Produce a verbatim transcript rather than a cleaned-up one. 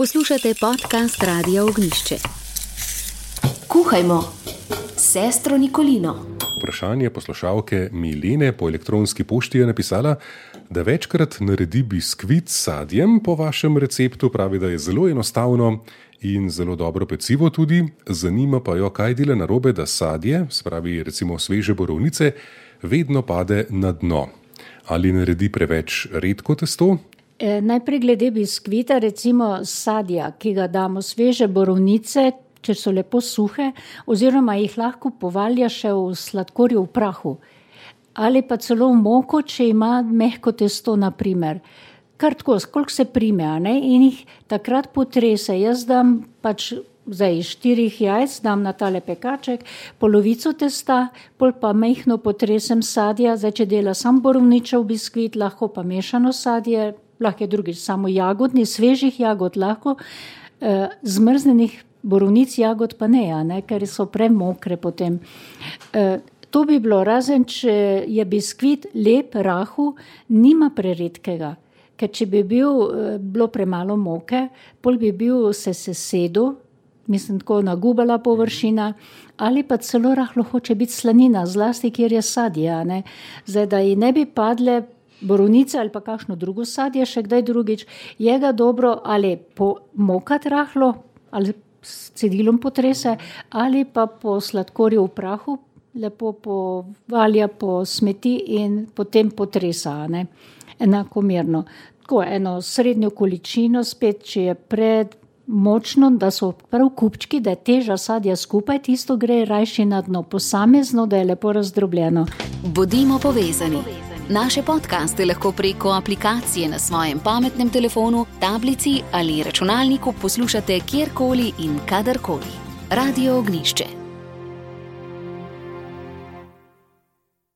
Poslušate podcast Radia Ognjišče. Kuhajmo s sestro Nikolino. Vprašanje poslušalke Milene po elektronski pošti je napisala, da večkrat naredi biskvit s sadjem po vašem receptu, pravi, da je zelo enostavno in zelo dobro pecivo tudi. Zanima pa jo, kaj dela narobe, da sadje, spravi recimo sveže borovnice, vedno pade na dno. Ali naredi preveč redko testo? E, najprej glede biskvita, recimo sadja, ki ga damo sveže borovnice, če so lepo suhe, oziroma jih lahko povalja še v sladkorju v prahu. Ali pa celo v moko, če ima mehko testo, na primer. Kar tako, koliko se prime, a ne? In jih takrat potrese. Jaz dam pač zdaj iz štirih jajc, dam na tale pekaček, polovico testa, pol pa mehno potresem sadja. Zdaj, če dela sam borovničev biskvit, lahko pa mešano sadje, lahko je drugič samo jagodni, svežih jagod lahko, e, zmrznenih borovnic jagod pa ne, a ne, ker so premokre potem. E, to bi bilo, razen če je biskvit lep, rahu, nima preredkega, ker če bi bil, bilo premalo moke, pol bi bil se sesedel, mislim tako nagubala površina, ali pa celo rahlo hoče biti slanina, zlasti kjer je sadje, a ne. Zdaj, da ji ne bi padle borovnice ali pa kakšno drugo sadje, še kdaj drugič, je ga dobro ali pomokati rahlo, ali s cedilom potrese, ali pa po sladkorju v prahu lepo povalja po smeti in potem potresa, ne, enakomerno. Tako eno srednjo količino, spet, če je pred močno, da so prav kupčki, da je teža sadja skupaj, tisto gre rajši na dno, posamezno, da je lepo razdrobljeno. Bodimo povezani. Naše podcaste lahko preko aplikacije na svojem pametnem telefonu, tablici ali računalniku poslušate kjerkoli in kadarkoli. Radio Ognjišče.